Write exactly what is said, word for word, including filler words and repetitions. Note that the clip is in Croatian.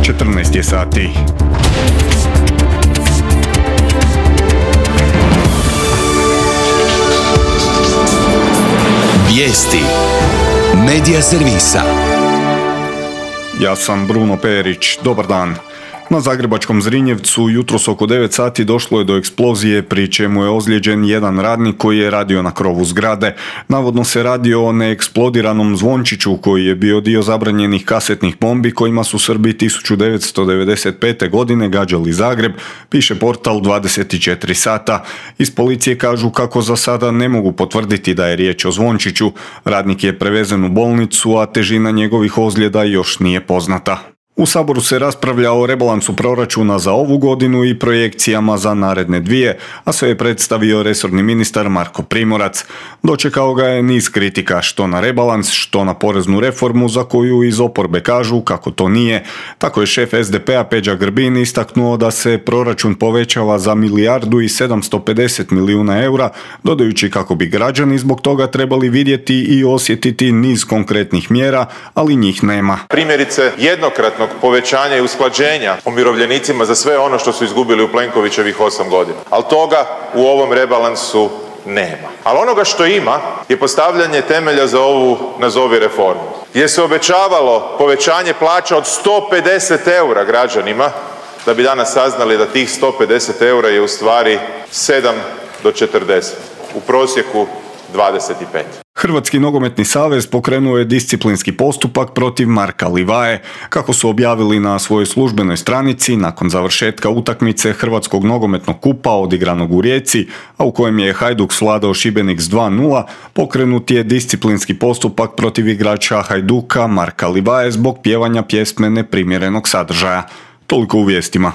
četrnaest je sati. Vijesti Medija servisa. Ja sam Bruno Perić. Dobar dan. Na zagrebačkom Zrinjevcu jutros oko devet sati došlo je do eksplozije, pri čemu je ozlijeđen jedan radnik koji je radio na krovu zgrade. Navodno se radi o neeksplodiranom zvončiću koji je bio dio zabranjenih kasetnih bombi kojima su Srbi tisuću devetsto devedeset pete. godine gađali Zagreb, piše portal dvadeset četiri sata. Iz policije kažu kako za sada ne mogu potvrditi da je riječ o zvončiću. Radnik je prevezen u bolnicu, a težina njegovih ozljeda još nije poznata. U Saboru se raspravlja o rebalansu proračuna za ovu godinu i projekcijama za naredne dvije, a sve je predstavio resorni ministar Marko Primorac. Dočekao ga je niz kritika što na rebalans, što na poreznu reformu za koju iz oporbe kažu kako to nije. Tako je šef es de pe-a Peđa Grbin istaknuo da se proračun povećava za milijardu i sedamsto pedeset milijuna eura, dodajući kako bi građani zbog toga trebali vidjeti i osjetiti niz konkretnih mjera, ali njih nema. Primjerice jednokratno povećanja i usklađenja umirovljenicima za sve ono što su izgubili u Plenkovićevih osam godina. Ali toga u ovom rebalansu nema. Ali onoga što ima je postavljanje temelja za ovu nazovi reformu. Gdje se obećavalo povećanje plaća od sto pedeset eura građanima, da bi danas saznali da tih sto pedeset eura je u stvari sedam do četrdeset. U prosjeku dvadeset pet. Hrvatski nogometni savez pokrenuo je disciplinski postupak protiv Marka Livaje. Kako su objavili na svojoj službenoj stranici, nakon završetka utakmice Hrvatskog nogometnog kupa odigranog u Rijeci, a u kojem je Hajduk svladao Šibenik s dva nula, pokrenut je disciplinski postupak protiv igrača Hajduka Marka Livaje zbog pjevanja pjesme neprimjerenog sadržaja. Toliko u vijestima.